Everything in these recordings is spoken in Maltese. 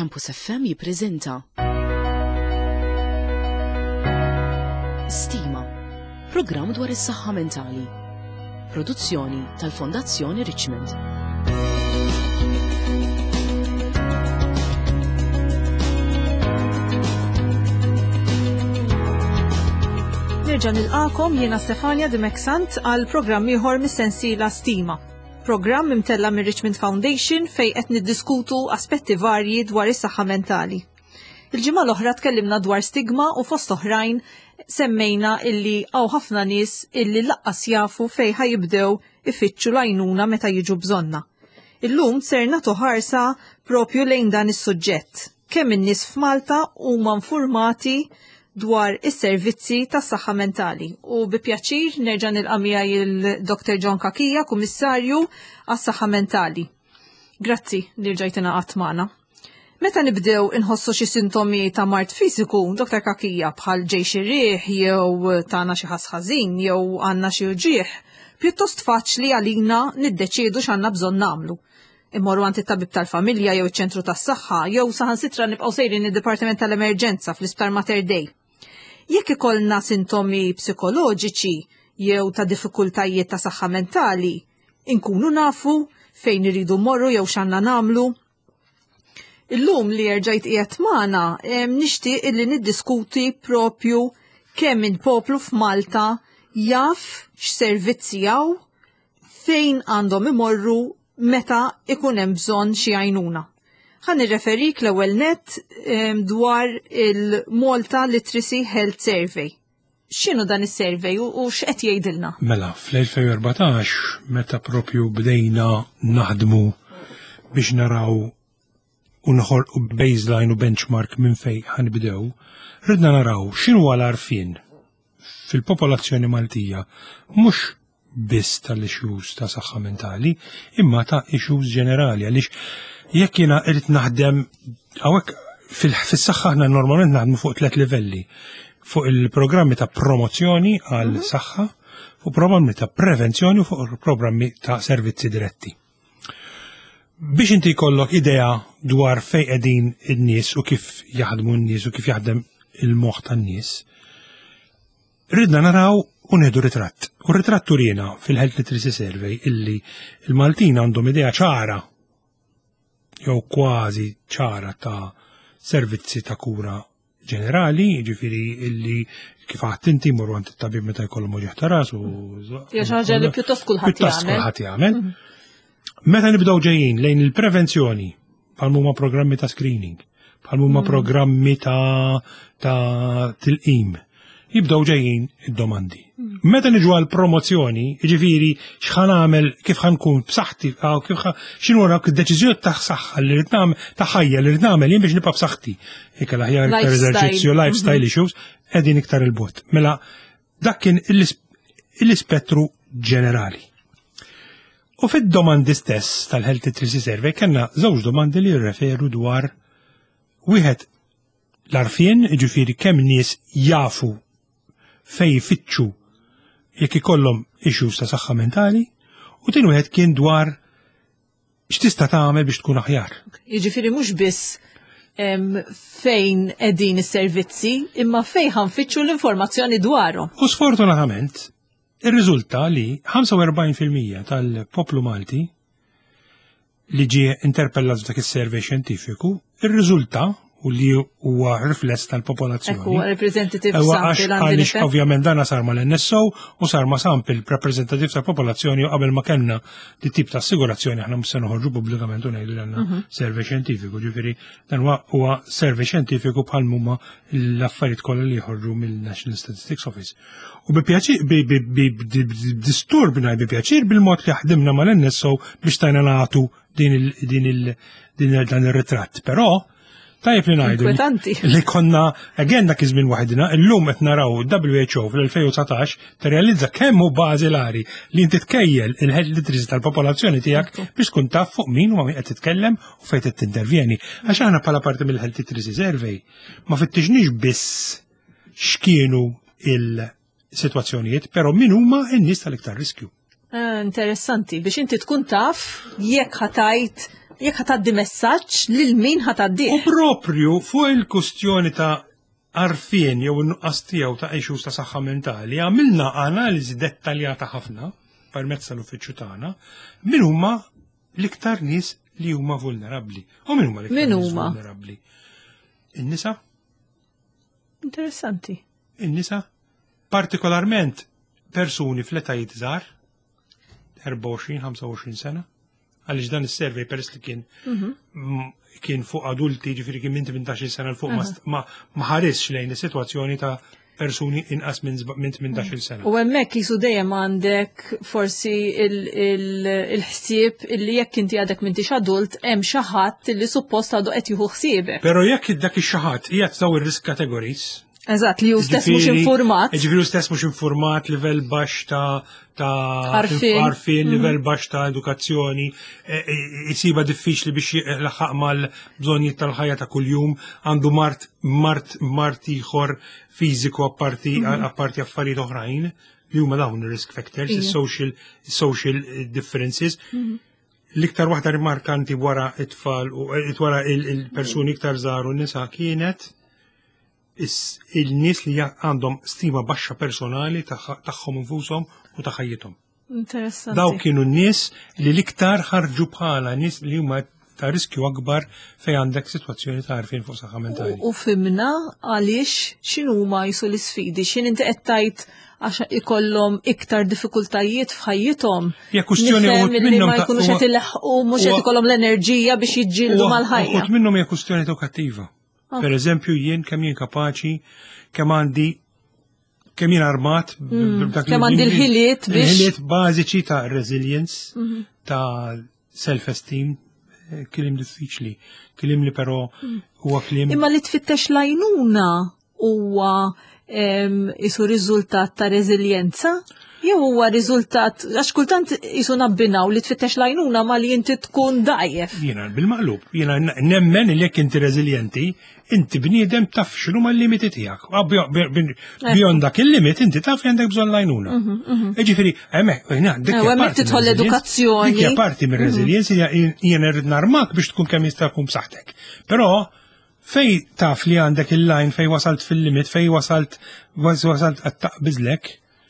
Campus FM jippreżenta Stima, programm dwar is-saħħa mentali. Produzzjoni tal-Fondazzjoni Richmond. Nerġa' nilqakom jiena Stefania Dimeksant għal programm ieħor mis-sensiela Stima. Programm imtella' mir-Richmond Foundation fejn qed niddiskutu aspetti varji dwar is-saħħa mentali. Il-ġimgħa l-oħra tkellimna dwar stigma u fost oħrajn semmejna illi hawn ħafna nies illi laqqas jafu fejn ħajibdew ifittxu l-għajnuna meta jiġu bżonna. Illum ser nagħtu ħarsa propju lejn dan is-suġġett. Kemm in-nies f'Malta huma nfurmati dwar is-servizzi tas-saħħa mentali. U bi pjaċir nerġa' nilqa' miegħi il-Dr. John Kakija, Kummissarju għas-Saħħa Mentali. Grazzi li rġajt ingħaqadt magħna. Meta nibdew inħossu xi sintomi ta' mard fiżiku, Dr. Kakija, bħal ġej xi riħ jew tagħna xi ħass ħażin jew għandna xi uġigħ, pjuttost faċli għalina niddeċiedu x'għandna bżonn nagħmlu. Immorru għand it-tabib tal-familja jew iċ-ċentru tas-saħħa jew saħansitra nibqgħu sejrin id-Dipartiment tal-Emerġenza fl-Isptar Mater Dei. Jekk ikollna sintomi psikoloġiċi jew ta' diffikultajiet ta' saħħa mentali, inkunu nafu fejn iridu mmorru jew x'għandna nagħmlu. Illum li erġajt qiegħed magħna nixtieq illi niddiskuti propju kemm il-poplu f'Malta jaf x'servizzi hawn fejn għandhom imorru meta ikun hemm bżonn xi għajnuna. Ħa nirreferik l-ewwel nett dwar il-Malta Literacy Health Survey. X'inhu dan is-survey u x'qed jgħidilna? Mela, fl-2014 meta propju bdejna naħdmu biex naraw u noħolqu baseline u benchmark minn fejn ħanibdew, ridna naraw x'inhu l-għarfien fil-popolazzjoni Maltija mhux biss tal-issues ta' saħħa mentali, imma ta' issues ġenerali għaliex jekk jiena irrid naħdem hawnhekk fis-saħħa aħna normalment naħdmu fuq tliet livelli. Fuq il-programmi ta' promozzjoni għal mhm. saħħa, fuq programmi ta' prevenzjoni u fuq programmi ta' servizzi diretti. Biex inti jkollok idea dwar fej qegħdin in-nies u kif jaħdmu n-nies u kif jaħdem il-moħħ tan-nies, ridna naraw u nieħdu ritratt. U ritratt turina fil-Health Literacy Survey illi il-Maltin għandhom idea ċara jew kważi ċara ta' servizzi ta' kura ġenerali, ġifiri illi kif għadt inti morru għand it-tabib meta jkollhom uġigħ ta' ras u. Hija xi ħaġa li pjuttost kulħadd jagħmel. Kulħadd jagħmel. Mhm. Meta nibdew ġejjin lejn il-prevenzjoni bħal huma programmi ta' screening, bħal huma mhm. programmi ta' ta' tilqim, jibdew ġejjin id-domandi. Mhm. Meta niġu għal promozzjoni, jiġifieri x'ħan għamel, kif ħan kun b'saħħti, kif x'inhu dawk id-deċiżjoni ta' saħħa li rrid nagħmel, ta' ħajja li rrid nagħmel jien biex nibqa' b'saħħti. Ikel aħjar iktar eżerċizzju, lifestyle mhm. issues, qegħdin iktar il-bot. Mela dak kien l-ispettru ġenerali. U fid-domandi stess tal-Health Literacy Survey kellna żewġ domandi li jirreferu dwar wieħed l-arfien, ġifieri kemm nies jafu fej jfittxu jekk ikollhom issues ta' saħħa mentali, u tin wieħed kien dwar x'tista' tagħmel biex tkun aħjar. Jiġifieri mhux biss fejn qegħdin is-servizzi, imma fejn ħanfittxu l-informazzjoni dwarhom. U sfortunatament, irriżulta li 45% tal-poplu Malti li ġie interpellat f'dak is-survey xjentifiku, irriżulta u li huwa rifless tal-popolazzjoni. Ekku, representative sample Għaliex ovvjament dana sar mal-NSO u sar ma sample rappresentative tal-popolazzjoni u qabel ma kellna di tip ta' assigurazzjoni aħna mhux se noħorġu pubblikament u ngħidu li għandna mhm. survey xjentifiku, ġifieri dan huwa survey xjentifiku bħal huma l-affarijiet kollha li jħorġu mill-National Statistics Office. U bi pjaċir, bi disturb ngħid bi pjaċir bil-mod li ħdimna mal-NSO biex tajna nagħtu din il din dan ir-ritratt. Però tajjeb li ngħidu li konna again dak iż-żmien waħedna, illum qed naraw WHO fl-2019 tirrealizza kemm hu bażilari li inti tkejjel il-health literacy tal-popolazzjoni tiegħek biex tkun taf fuq min u ma' min qed titkellem u fejn qed tintervjeni. Għax aħna bħala parti mill-health literacy survey ma fittixniex biss x'kienu il-sitwazzjonijiet, però min huma n-nies tal-iktar riskju. Eh, interessanti, biex inti tkun taf jekk ħatajt. Jekk ħa tgħaddi messaġġ lil min ħa tgħaddih. U proprju fuq il-kustjoni ta' għarfien jew in-nuqqas tiegħu ta' issues ta' saħħa mentali, għamilna analiżi dettaljata ħafna permezz tal-uffiċċju tagħna min huma l-iktar nies li huma vulnerabbli. U min huma l-iktar nies vulnerabbli? In-nisa. Interessanti. In-nisa, partikolarment persuni fl-etajiet żgħar, 24-25 sena, għaliex dan is-survey peress li kien mhm. kien fuq adulti, ġifieri kien minn 18 sena l fuq ma ħaresx lejn is-sitwazzjoni ta' persuni inqas minn 18 sena. U hemmhekk jisu dejjem għandek forsi il-ħsieb illi jekk inti għadek m'intix adult hemm xi ħadd illi suppost għadu qed jieħu ħsiebek. Però jekk dak ix-xi ħadd qiegħed daw ir-risk categories, Eżatt, li hu stess mhux informat. Ġifieri hu stess mhux informat, livell baxx ta' ta' għarfien, mhm. livell baxx ta' edukazzjoni, e, e, isiba diffiċli biex laħaq mal-bżonnijiet tal-ħajja ta' kuljum, għandu mart mart mart ieħor fiżiku apparti mhm. apparti affarijiet oħrajn li huma dawn ir-risk factors, is-social social differences. Mhm. L-iktar waħda rimarkanti wara it-tfal u eh, wara il-persuni iktar żgħar u nisa kienet il-nies li għandhom stima baxxa personali tagħhom infushom u ta' ħajjithom. Interessanti. Daw kienu n-nies li l-iktar ħarġu bħala nies li huma ta' riskju akbar fej għandek sitwazzjoni ta' għarfien fuq saħħa mentali. U fimna għaliex x'inhuma jisu l-isfidi, x'in inti qed tgħid għax ikollhom iktar diffikultajiet f'ħajjithom. Ja kwistjoni uħud minnhom ma jkunux qed ilaħqu mhux qed ikollhom l-enerġija biex jiġġieldu mal-ħajja. Uħud minnhom hija kwistjoni edukattiva. Ah. Per eżempju, jien kemm jien kapaċi, kemm għandi kemm jien armat mm, kemm għandi l-ħiliet biex il-ħiliet bażiċi ta' resilience, mhm. ta' self-esteem, eh, kliem diffiċli, kliem li però mm. huwa kliem. Imma li tfittex lajnuna huwa isu riżultat ta' reżiljenza? Jew huwa riżultat għax kultant isu nabbinaw li tfittex lajnuna ma li inti tkun dajjef. Jiena bil-maqlub, jiena nemmen li jekk inti reżiljenti, inti bniedem taf x'inhu ma limiti tiegħek. Beyond dak il-limit inti taf li għandek bżonn lajnuna. Mhm, mhm. Ġifieri, hemmhekk, dik hemmhekk tidħol l-edukazzjoni. Dik hija parti mir-reżiljenza jiena rrid narmak biex tkun kemm jista' jkun b'saħħtek. Però Fej taf li għandek il-line fej wasalt fil-limit, fej wasalt wasalt qed taqbiżlek,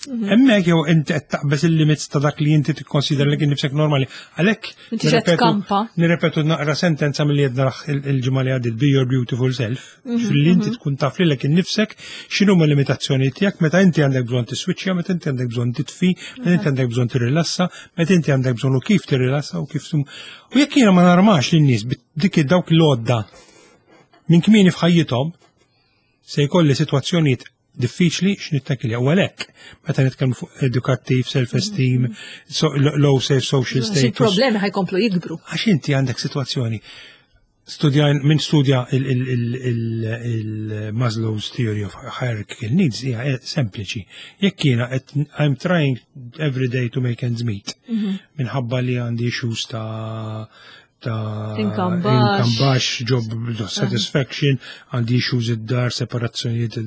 mhm. hemmhekk jew inti qed taqbeż il-limits ta' dak li inti tikkonsidra li kien nifsek normali. Għalhekk nirrepetu naqra sentenza milli jedna il-ġimgħa li għaddiet be your beautiful self, mhm, fil-li inti mhm. tkun taf lilek innifsek x'inhu ma limitazzjoni tiegħek meta inti għandek bżonn tiswiċċja, meta inti għandek bżonn titfi, meta inti għandek bżonn tirrilassa, meta inti għandek bżonn u kif tirrilassa u kif U jekk jiena ma narmax lin-nies dik dawk l-għodda minn kmieni f'ħajjithom se jkolli sitwazzjonijiet diffiċli x'nittakilja. U għalhekk meta nitkellmu fuq edukattiv, self-esteem, so, low safe social status. Il-problemi ħajkomplu jikbru. Għax inti għandek sitwazzjoni studja minn studja il-Maslow's theory of hierarchical needs hija eh, sempliċi. Jekk jiena I'm trying every day to make ends meet mhm. minħabba li għandi issues ta' ta' income baxx, job satisfaction, għandi issues id-dar, separazzjonijiet,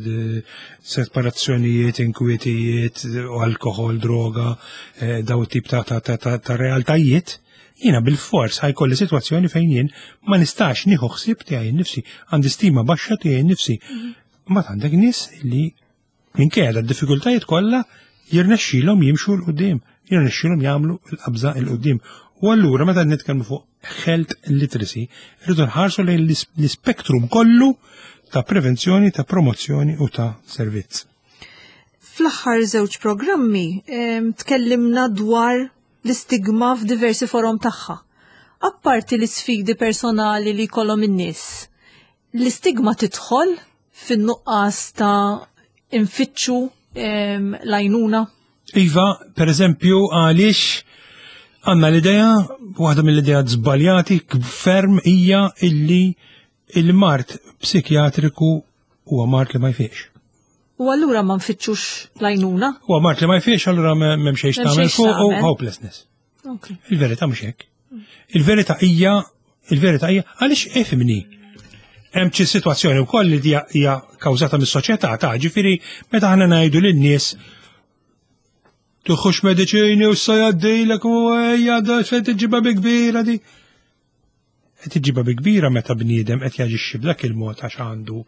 separazzjonijiet, inkwietijiet, alkohol, droga, eh, daw tip ta' ta' ta' ta' realtajiet, jiena bil-fors ħajkolli sitwazzjoni fejn jien ma nistax nieħu ħsieb tiegħi nnifsi, għandi stima baxxa tiegħi nnifsi. Mhm. Ma għandek nies li Minkejja d-diffikultajiet kollha jirnexxilhom jimxu 'l quddiem, jirnexxilhom jagħmlu l-qabża 'l quddiem. U allura meta nitkellmu fuq health literacy, rridu nħarsu lejn l-ispektrum kollu ta' prevenzjoni, ta' promozzjoni u ta' servizz. Fl-aħħar żewġ programmi tkellimna dwar l-istigma f'diversi forom tagħha. Apparti l-isfidi personali li jkollhom in-nies, L-istigma tidħol fin-nuqqas ta' infittxu ehm, l-għajnuna? Iva, per eżempju, għaliex għanna l-idea, waħda mill-idea żbaljati ferm hija illi il-mart psikjatriku huwa mart li ma jfiex. U allura ma nfittxux l-għajnuna? Huwa mart li ma jfiex, allura m'hemm xejn tagħmel fuq u hopelessness. Il-verità mhux hekk. Il-verità hija, il-verità hija għaliex ifhimni. Hemm xi sitwazzjoni wkoll li hija kawżata mis-soċjetà ta' ġifieri meta aħna ngħidu lin-nies tuħux mediċini u s jgħaddilek u ejja da se tiġiba bi kbira di. Qed iġibha bi kbira meta bniedem qed jaġixxi b'dak il-mod għax għandu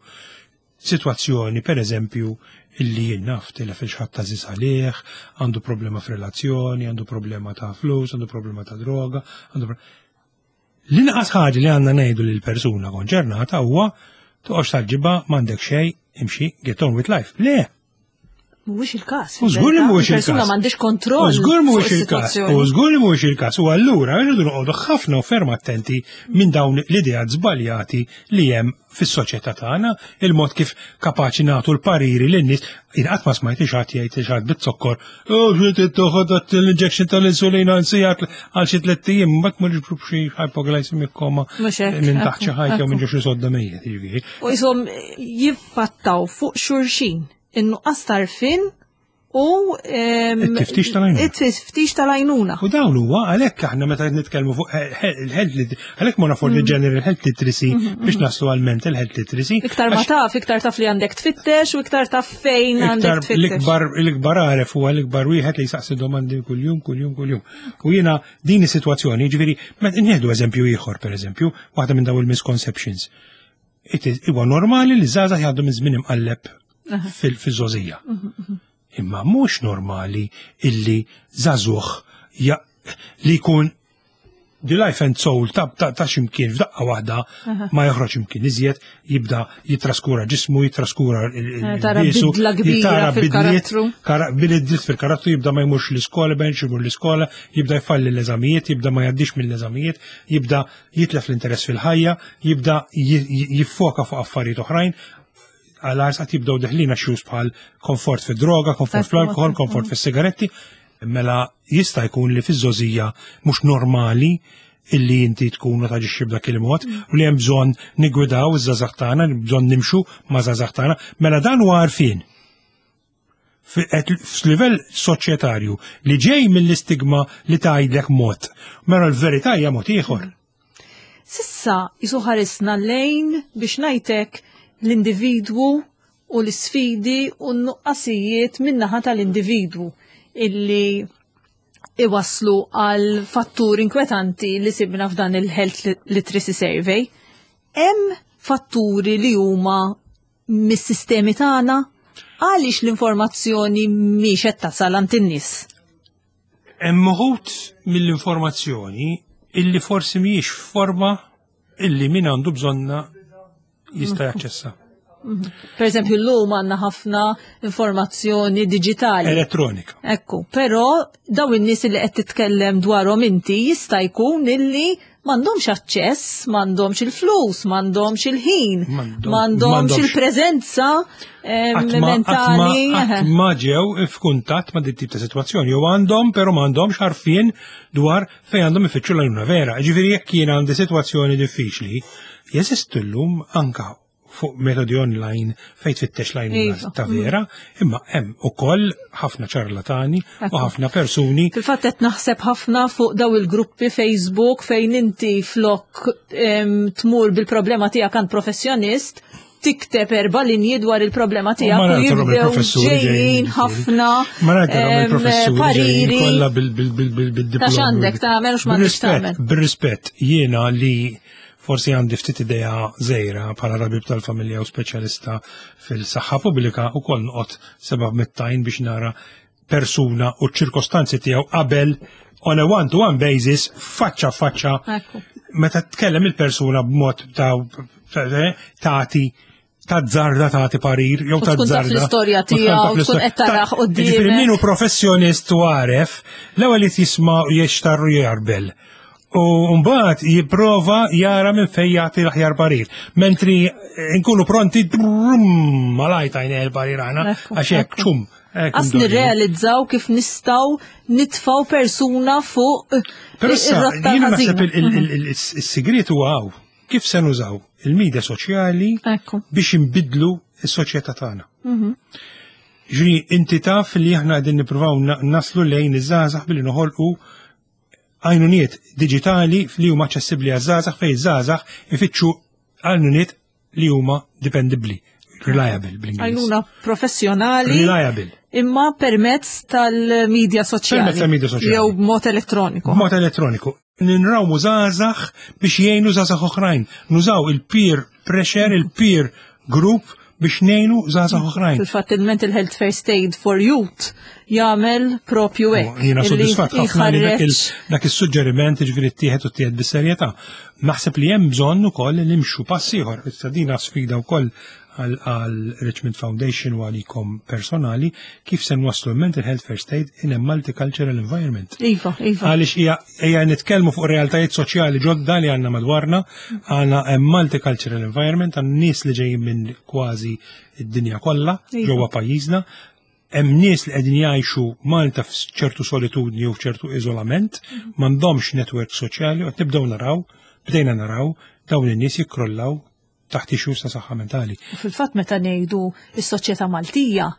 sitwazzjoni, per eżempju, illi jien naf tilef il xi ħadd għażiż għalih, għandu problema f'relazzjoni, għandu problema ta' flus, għandu problema ta' droga, għandu L-inqas ħaġa li għandna ngħidu lil persuna konċernata huwa toqgħodx tal-ġibba m'għandek xejn, imxi, get on with life. Le, Mhuwiex il-każ. U żgur li mhuwiex il-każ. Persuna m'għandix kontroll. U żgur mhuwiex il-każ. U żgur li mhuwiex il-każ. U allura rridu noqogħdu ħafna u ferm attenti minn dawn l-ideat żbaljati li hemm fis-soċjetà tagħna, il-mod kif kapaċi nagħtu l-pariri lin-nies. Jien qatt ma smajt xi ħadd jgħid xi ħadd bit-zokkor, oh xi toħod l-injection tal-insulina għal għal xi tlett ijiem, mbagħad ma ġbru b'xi hypoglycemic coma minn taħt xi ħajja jew minn ġo xi sodda mejjet, jiġifieri. U jisom jiffattaw fuq xulxin in-nuqqas tarfin u it-tiftix tal-għajnuna. It-tiftix tal-għajnuna. U dawn huwa għalhekk aħna meta qed nitkellmu fuq il-health għalhekk ma for the mm. general health literacy mm, mm, biex naslu għal mental health literacy. Iktar ma taf, iktar taf li għandek tfittex u iktar taf fejn għandek tfittex. L-ikbar l-ikbar għaref huwa l-ikbar wieħed li jsaqsi domandi kuljum, kuljum, kuljum. U jiena din is-sitwazzjoni, jiġifieri, nieħdu eżempju ieħor pereżempju, waħda minn dawn il-misconceptions. Huwa normali li żgħażagħ jgħaddu minn żmien imqalleb fil-żgħożija. Mhm, mhm. Imma mhux normali illi żagħżugħ li jkun the life and soul ta' ta', ta ximkien f'daqqa waħda ma joħroġ imkien iżjed, jibda jitraskura ġismu, jitraskura il-bisu, eh, jitara bidliet, bidliet fil-karattru, jibda ma jmurx l-iskola, benx imur l-iskola, jibda jfalli l-eżamijiet, jibda ma jaddix mill-eżamijiet, jibda jitlef l-interess fil-ħajja, jibda jiffoka fuq affarijiet oħrajn, għal għarsat jibdew deħlin għax bħal komfort fid-droga, komfort fl-alkohol, komfort fis-sigaretti, mela jista' jkun li fiż-żożija mhux normali illi inti tkun u taġixxi b'dak il-mod u li hemm bżonn nigwidaw iż-żgħażagħ tagħna, bżonn nimxu ma' żgħażagħ tagħna, mela dan huwa għarfien f'livell soċjetarju li ġej mill-istigma li tgħidlek mod, mela l-verità hija mod ieħor. Sissa jisu ħarisna lejn biex ngħidlek l-individwu u l-isfidi u n-nuqqasijiet min-naħa tal-individwu illi iwaslu għal fatturi inkwetanti li sibna f'dan il-Health Literacy Survey. Hemm fatturi li huma mis-sistemi tagħna għaliex l-informazzjoni mhix qed tasal għand in-nies? Hemm uħud mill-informazzjoni illi forsi mhijiex f'forma illi min għandu bżonna jista' mhm. jaċċessa. Mhm. Per eżempju, l-lum għanna ħafna informazzjoni digitali. Elettronika. Ekku, però daw in-nies li qed titkellem dwarhom inti jista' jkun illi m'għandhomx aċċess, m'għandhomx il-flus, m'għandhomx il-ħin, m'għandhomx il-preżenza mentali. Ma ġew f'kuntatt ma' dit tip ta' sitwazzjoni, jew għandhom però m'għandhomx għarfien dwar fejn għandhom ifittxu l-għajnuna vera. Ġifieri jekk jien għandi sitwazzjoni diffiċli, jeżistu llum anka fuq metodi online fejn tfittex l-għajnuna iva. ta' vera, imma hemm ukoll ħafna ċarlatani u ħafna persuni. Fil-fatt qed naħseb ħafna fuq daw il-gruppi Facebook fejn inti flok tmur bil-problema tiegħek għand professjonist, tikteb erba' linji dwar il-problema tiegħek u jibdew ġejjin ħafna pariri. Kollha bil-diploma. Ta' x'għandek tagħmel u x'm'għandekx tagħmel. Bir-rispett jiena li Forsi għandi ftit idea żgħira bħala tabib tal-familja u speċjalista fil-saħħa pubblika ukoll noqgħod seba' mittajn biex nara persuna u ċ-ċirkostanzi tiegħu qabel on a one-to-one basis, faċċa faċċa, meta tkellem il-persuna b'mod ta' tagħti tazzarda tagħti parir jew tazzarda. l-istorja tiegħu tkun qed taraħ quddiem. Ġifieri min hu professjonist u għaref, l-ewwel li jisma' jixtarru jarbel. U mbagħad jipprova jara minn fejn jagħti l-aħjar parir. Mentri nkunu pronti malajt għajn il-parir aħna għax hekk ċum. Għas nirrealizzaw kif nistaw nitfaw persuna fuq Però issa, jiena naħseb il-sigriet huwa hawn. Kif se nużaw il-medja soċjali biex inbidlu s-soċjetà tagħna. Mhm. Ġri, inti taf li aħna qegħdin nippruvaw naslu lejn iż-żgħażagħ billi noħolqu għajnuniet diġitali li huma aċċessibbli għaż-żgħażagħ fejn iż-żgħażagħ ifittxu għajnuniet li huma dipendibbli, reliable bl-Ingliż. Għajnuna professjonali. Reliable. Imma permezz tal-medja soċjali. Permezz tal-medja soċjali. Jew b'mod elettroniku. B'mod elettroniku. Ninrawmu żgħażagħ biex jgħinu żgħażagħ oħrajn. Nużaw il-peer pressure, il-peer group biex ngħinu żgħażagħ oħrajn. Fil-fatt il-Mental Health First Aid for Youth jagħmel propju hekk. Jiena sodisfatt ħafna li dak is-suġġeriment ġifieri ttieħed u ttieħed bis-serjetà. Naħseb li hemm bżonn ukoll li nimxu pass ieħor. Issa dina sfida wkoll għal Richmond Foundation u għalikom personali kif se nwasslu mental health first aid in a multicultural environment. Iva, iva. Għaliex hija nitkellmu fuq realtajiet soċjali ġodda li għandna madwarna, għandna multicultural environment, għandna nies li ġejjin minn kważi id-dinja kollha iva. ġewwa pajjiżna, hemm nies li qegħdin jgħixu Malta f'ċertu solitudni u f'ċertu iżolament, mhm. m'għandhomx netwerk soċjali u qed nibdew naraw, bdejna naraw dawn in-nies jikkrollaw taħt issues ta' saħħa mentali. Fil-fatt meta ngħidu s-soċjetà Maltija,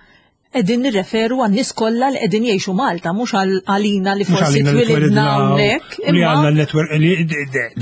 qegħdin nirreferu għan-nies kollha li qegħdin jgħixu Malta, mhux għalina li forsi twilidna hawnhekk. Li għandna netwerk li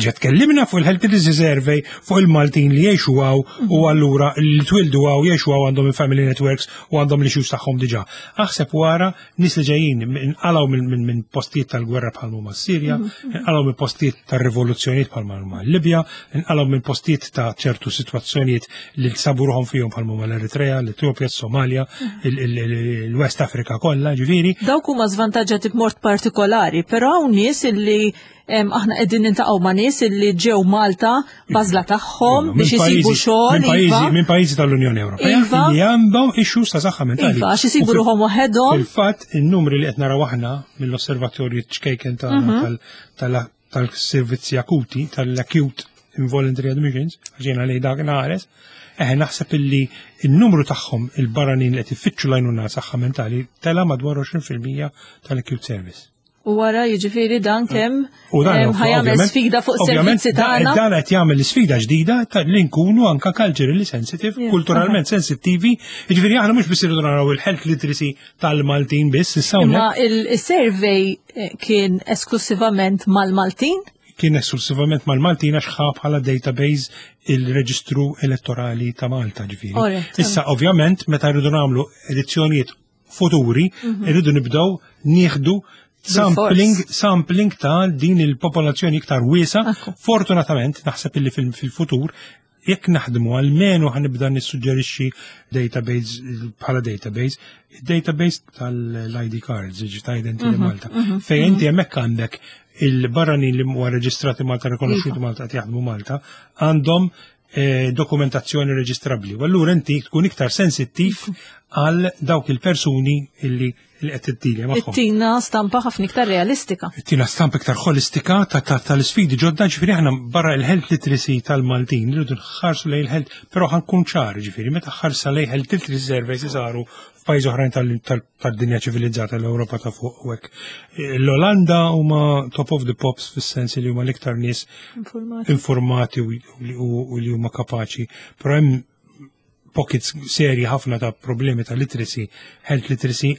ġa tkellimna fuq il-Health Literacy Survey fuq il-Maltin li jgħixu hawn u mhm. allura li twildu hawn jgħixu hawn għandhom il-family networks u għandhom l-issues tagħhom diġà. Aħseb wara nies li ġejjin inqalgħu minn postijiet tal-gwerra bħal huma s-Sirja, mhm. inqalgħu minn postijiet tar-rivoluzzjonijiet bħal huma l-Libja, inqalgħu minn postijiet ta' ċertu sitwazzjonijiet li sabu ruħhom fihom bħal huma l-Eritrea, l-Etjopja, s-Somalja, mhm. il-West Africa kollha, ġifieri. Dawk huma żvantaġġati b'mod partikolari, però hawn nies illi aħna qegħdin nintaqgħu ma' nies illi ġew Malta bażla tagħhom biex isibu xogħol. Iva. Minn pajjiżi tal-Unjoni Ewropea iva. li għandhom issues ta' saħħa mentali. Iva, għax isibu ruħhom waħedhom. Fil-fatt, in-numri li qed naraw aħna mill-osservatorju ċkejken tagħna mhm. tal-servizzi akuti, tal-acute involuntary admissions, għax li dak naħares, eħe naħseb illi il-numru tagħhom il-barranin li qed ifittxu l-għajnuna saħħa mentali tela madwar 20% tal-acute service. U wara jiġifieri dan kemm ħajamel sfida fuq servizzi tagħna. Dan qed jagħmel sfida ġdida ta' li nkunu anka culturally sensitive, kulturalment sensittivi. Jiġifieri aħna mhux biss irridu naraw il-health literacy tal-Maltin biss issa Imma il-survey eh, kien esklusivament mal-Maltin? Kien esklusivament mal-Maltin għax ħa bħala database il-reġistru elettorali ta' Malta ġifieri. Issa ovvjament meta rridu nagħmlu edizzjonijiet futuri, mhm. irridu nibdew nieħdu sampling, sampling ta' din il-popolazzjoni iktar wiesa. Fortunatament, naħseb illi fil-futur, jekk naħdmu għalmenu ħanibda nissuġġerixxi database bħala database, database tal-ID cards, ġi ta' Identity mhm, Malta, mhm, fejn inti hemmhekk għandek il-barranin li huwa reġistrati Malta, rikonoxxuti iva. Malta qed jaħdmu Malta, għandhom eh, dokumentazzjoni reġistrabbli. U allura inti tkun iktar sensittiv għal dawk il-persuni illi li qed tiddilja magħhom. Tina stampa ħafna iktar realistika. Tina stampa iktar holistika tal-isfidi ġodda ġifieri aħna barra il-health literacy tal-Maltin rridu nħarsu lejn il-health, però ħankun ċar ġifieri meta ħarsa lejn health literacy surveys saru f'pajjiż oħrajn tad-dinja ċivilizzata l-Ewropa ta' fuq u hekk. L-Olanda huma top of the pops fis-sens li huma l-iktar nies informati u li huma kapaċi, però hemm pockets serji ħafna ta' problemi ta' literacy, health literacy,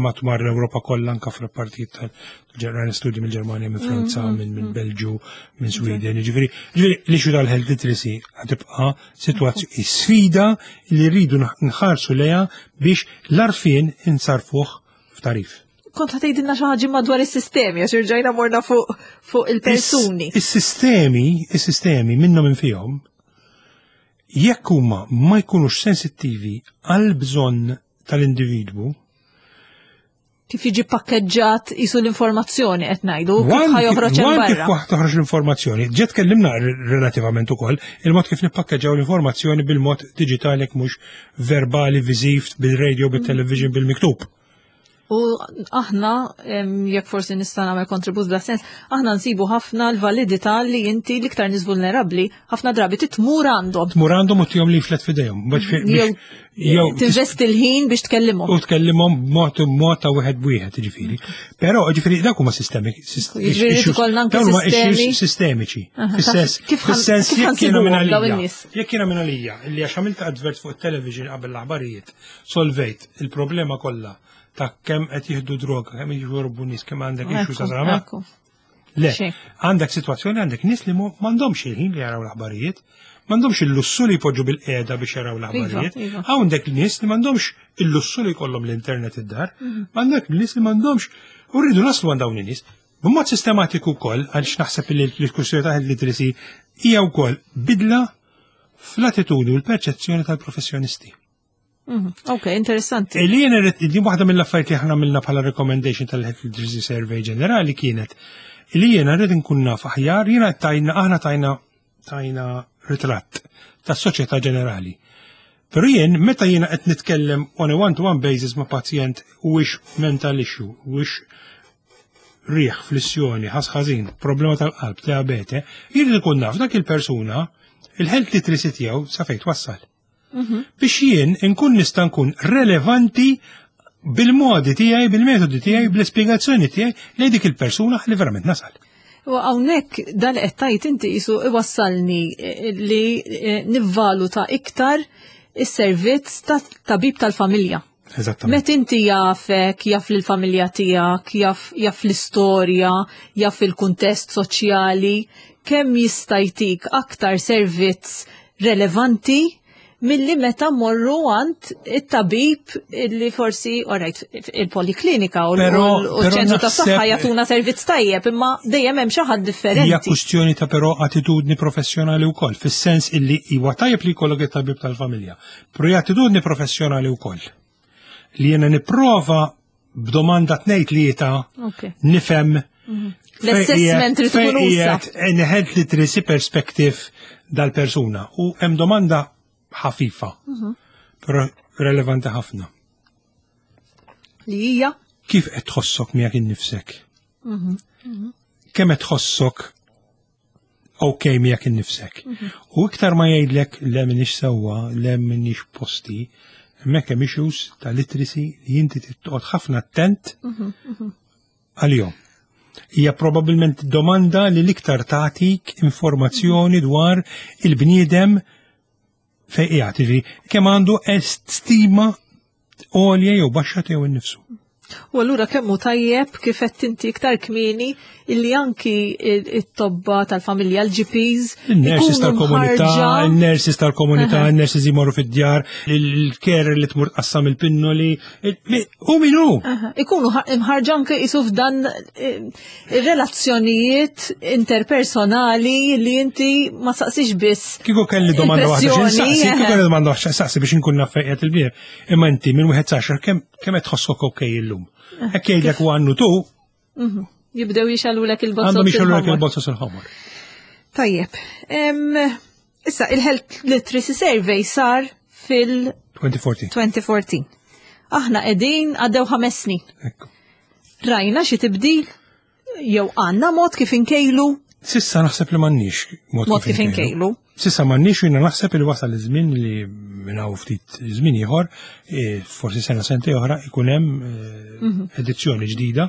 matwar l-Ewropa kollha anka fl-partijiet tal-ġerran studji mill-Ġermanja, minn Franza, mm-hmm. minn mm Belġu, minn Sweden, ġifieri, ġifieri l-issue tal-health literacy ħatibqa' situazzjoni sfida li rridu nħarsu leja biex l-arfien insarfuh f'tarif. Kont ħatejdilna xi ħaġa madwar is-sistemi għax irġajna morna fuq fuq il-persuni. Is-sistemi, is-sistemi minnhom infihom jekk huma ma jkunux sensittivi għal bżonn tal-individwu, kif jiġi pakkeġġat jisu l-informazzjoni qed ngħidu, kif ħajoħroġ hemm barra. Kif toħroġ l-informazzjoni. Ġiet tkellimna relativament ukoll il-mod kif nippakkeġġaw l-informazzjoni bil-mod diġitali jekk mhux verbali, viżiv, bil-radio, bil-television, bil-miktub. U aħna, jekk forsi nista' nagħmel kontribut bla sens, aħna nsibu ħafna l-validità li inti l-iktar nies vulnerabbli ħafna drabi titmur għandhom. Tmur għandhom u tihom leaflet f'idejhom. Jew tinvesti l-ħin biex tkellimhom. U tkellimhom b'mod b'mod ta' wieħed b'wieħed, ġifieri. Però ġifieri dak huma sistemi. Ġifieri ikollna anke sistemi. Sistemiċi. Fis-sens fis-sens jekk jiena minn għalija. Jekk jiena minn għalija illi għax għamilt advert fuq it-television qabel l-aħbarijiet, solvejt il-problema kollha ta' kemm qed jieħdu droga, kemm jixorbu nies, kemm għandek issues ta' sama. Le, għandek situazzjoni għandek nies li m'għandhomx il-ħin li jaraw l-aħbarijiet, m'għandhomx il-lussu li jpoġġu bil-qiegħda biex jaraw iva, l-aħbarijiet. Iva. Għandek nies li m'għandhomx il-lussu li jkollhom l-internet id-dar, mhm. għandek nies li m'għandhomx u rridu naslu għand dawn in-nies. B'mod sistematiku wkoll, għaliex naħseb li l-kwistjoni ta' health literacy hija wkoll bidla fl-attitudni u l-perċezzjoni tal-professjonisti. Ok, interessanti. Li jena li waħda mill-affarijiet li aħna għamilna bħala recommendation tal-Health Literacy Survey ġenerali kienet li jiena rrid nkun naf aħjar, jiena tajna aħna tajna tajna ritratt tas-soċjetà ġenerali. Però jien meta jiena qed nitkellem on a one-to-one basis ma' pazjent huwiex mental issue, huwiex riħ, flissjoni, ħas ħażin, problema tal-qalb, diabete, jien ikun naf dak il-persuna il-health literacy tiegħu sa fejn twassal. Biex jien inkun nista' nkun relevanti bil-modi tiegħi, bil-metodi tiegħi, bl-ispjegazzjoni tiegħi lejn dik il-persuna li verament nasal. U hawnhekk dan qed tgħid inti qisu iwassalni eh, li eh, nivvaluta iktar is-servizz ta' tabib tal-familja. Eżattament. Met inti jafek, jaf l-familja tiegħek, jaf, jaf l-istorja, jaf il-kuntest soċjali, kemm jista' jtik aktar servizz relevanti milli meta morru għand it-tabib li forsi, alright, il-poliklinika u l-ċentru ta' saħħa jagħtuna servizz tajjeb, imma dejjem hemm xi ħadd differenti. Hija kwistjoni ta' però attitudni professjonali wkoll, fis-sens illi huwa tajjeb li jkollok it-tabib tal-familja, però hija attitudni professjonali wkoll. Li jiena nipprova b'domanda tnejn tlieta nifhem mhm. l-assessment li tkun usa. Health literacy perspective dal-persuna u hemm domanda ħafifa, mhm. però relevanti ħafna. Li hija? Kif qed tħossok miegħek innifsek? Mhm. Kemm qed tħossok ok miegħek innifsek. Mhm. U iktar ma jgħidlek le minix sewwa, le minix posti, hemmhekk hemm issues ta' literacy li inti titqgħod ħafna attent mhm, mhm. għalihom. Hija probabbilment domanda li l-iktar tagħtik informazzjoni dwar il-bniedem fejn qiegħed, jiġifieri kemm għandu stima għolja jew baxxa tiegħu innifsu. U allura kemm hu tajjeb kif qed inti iktar kmieni illi anki it-tobba tal-familja l-GPs. Il-nurses tal-komunità, il-nurses tal-komunità, il-nurses jmorru fid-djar, il-care li tmur tqassam il-pinnoli, u min hu? Ikunu imħarġa anke jisu f'dan eh, ir-relazzjonijiet interpersonali li inti ma saqsix biss. Kieku kelli domanda waħda x'in kieku kelli domanda waħda saqsi biex inkun naf fejn qiegħed il-bier. Imma inti minn wieħed saxar kemm kemm qed tħossok okej illum. Eh, Hekk jgħidlek u għannu tu. Mhm. Jibdew jixalulek il-bozzos. Għandhom jixalulek il-bozzos il-ħomor. Tajjeb. Issa, il-Health Literacy Survey sar fil-2014. 2014. Aħna qegħdin għaddew ħames snin. Ekku. Rajna xi tibdil jew għandna mod kif inkejlu? Sissa naħseb li m'għandniex mod kif inkejlu. Sissa m'għandniex u jiena naħseb li wasal iż-żmien li minn hawn ftit żmien ieħor, e, forsi sena sentej oħra ikun hemm e, mhm. edizzjoni ġdida.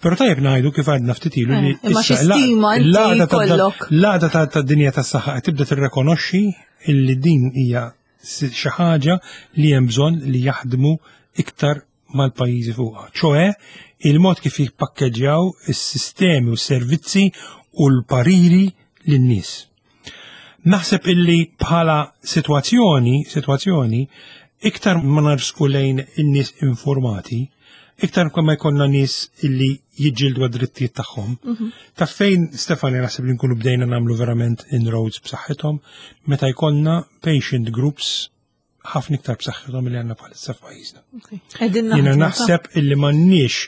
Però tajjeb ngħidu kif għadna ftit ilu li eh, imma xi stima l-għada tad-dinja tas-saħħa qed tibda tirrekonoxxi illi din hija xi ħaġa li hemm bżonn li jaħdmu iktar mal-pajjiżi fuqha, ċoe il-mod kif jippakkeġġjaw is-sistemi u s-servizzi u l-pariri lin-nies. Naħseb illi bħala sitwazzjoni, sitwazzjoni, iktar ma narsqu lejn in-nies informati, iktar ma jkollna nies illi jiġġieldu għad-drittijiet tagħhom. Mhm. Ta' fejn Stefani naħseb li nkunu bdejna nagħmlu verament inroads b'saħħithom meta jkollna patient groups ħafna iktar b'saħħithom li għandna bħalissa f'pajjiżna. Jiena naħseb illi m'għandniex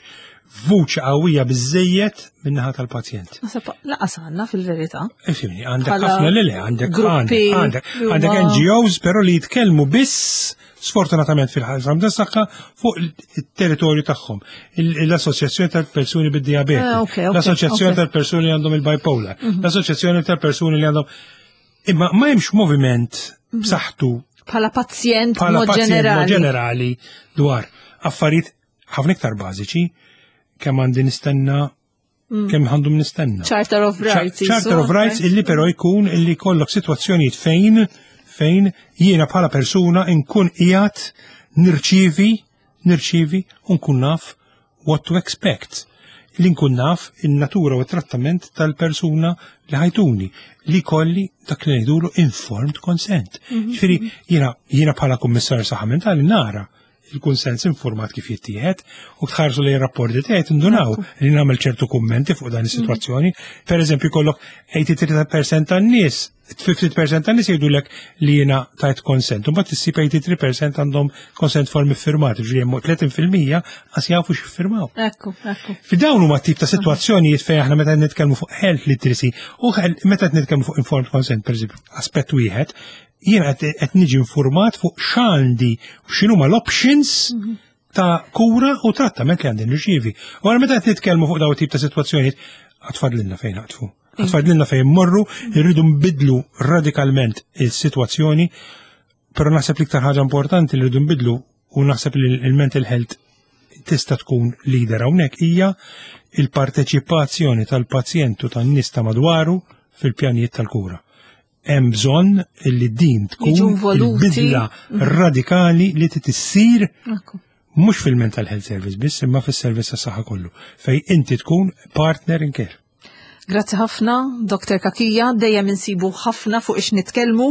vuċi qawwija biżejjed min-naħa tal-pazjent. Naħseb laqas għandna fil-verità. Ifimni, għandek ħafna li le, għandek għandek għandek NGOs però li jitkellmu biss sfortunatament fil-ħasam ta' saħħa fuq il-territorju tagħhom. L-Assoċjazzjoni tal-Persuni bid-Diabete, eh, l-Assoċjazzjoni tal-Persuni li għandhom il-bipolar, mhm. l-Assoċjazzjoni tal-Persuni li għandhom Imma ma hemmx moviment mhm. b'saħħtu bħala pazjent bħala pazjent ġenerali dwar affarijiet ħafna iktar bażiċi kemm għandi nistenna mm. kemm għandhom nistenna. Charter of Rights. Charter of Rights illi però jkun illi kollok sitwazzjonijiet fejn fejn jiena bħala persuna nkun qiegħed nirċivi nirċivi u nkun naf what to expect li nkun naf in-natura u trattament tal-persuna li ħajtuni li kolli dak li ngħidulu informed consent. Mhm. Ġifieri jiena jiena bħala kummissarju saħħa mentali nara il-kunsens informat kif jittieħed u tħarsu li rapporti tiegħi tindunaw li nagħmel ċertu kummenti fuq dan is-sitwazzjoni. Per eżempju kollok 83% tan-nies 50% tan-nies jgħidulek li jiena tajt konsent, u mbagħad issib 83% għandhom konsent form iffirmat, ġifieri hemm 30% qas jafu x'iffirmaw. Ekku, ekku. Fi dawn huma tip ta' sitwazzjonijiet fejn aħna meta nitkellmu fuq health literacy u meta qed nitkellmu fuq informed consent pereżempju, aspett wieħed, jiena qed niġi informat fuq x'għandi u x'inhuma l-options mhm. ta' kura u trattament li għandi nirċievi. U għara meta qed nitkellmu fuq dawn tip ta' sitwazzjonijiet, għatfadlilna fejn naqtfu. Għatfadlilna fejn morru, irridu nbidlu radikalment il-sitwazzjoni, però naħseb l-iktar ħaġa importanti li rridu nbidlu u naħseb li l-mental health tista' tkun leader hawnhekk hija il-parteċipazzjoni tal-pazjent u tan-nies ta' madwaru fil-pjanijiet tal-kura. Hemm bżonn li din tkun il-bidla mhm. radikali li tissir mhux fil-mental health service biss imma fis-servizz tas-saħħa kollu fej inti tkun partner in care. Grazzi ħafna, Dr. Kakija, dejjem insibu ħafna fuq ix nitkellmu.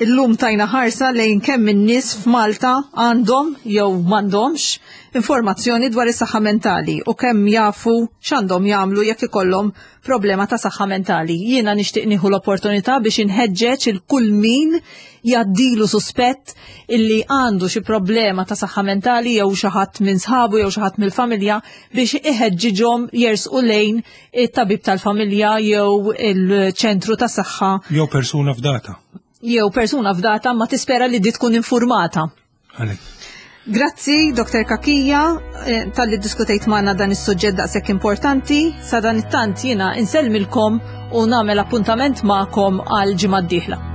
Illum tajna ħarsa lejn kemm in-nies f'Malta għandhom jew m'għandhomx informazzjoni dwar is-saħħa mentali u kemm jafu x'għandhom jagħmlu jekk ikollhom problema ta' saħħa mentali. Jiena nixtieq nieħu l-opportunità biex inħeġġeġ il kull min jgħaddilu suspett illi għandu xi problema ta' saħħa mentali jew xi ħadd minn sħabu jew xi ħadd mill-familja biex iħeġġiġhom jersqu lejn it-tabib tal-familja jew il-ċentru ta' saħħa. Jew persuna f'data. Jew persuna f'data ma tispera li di tkun informata. Grazzi, Dr. Kakija, eh, tal-li diskutejt magħna dan is-suġġett daqshekk importanti. Sa dan it-tant jiena insellmilkom u nagħmel appuntament magħkom għal ġimgħa d-dieħla.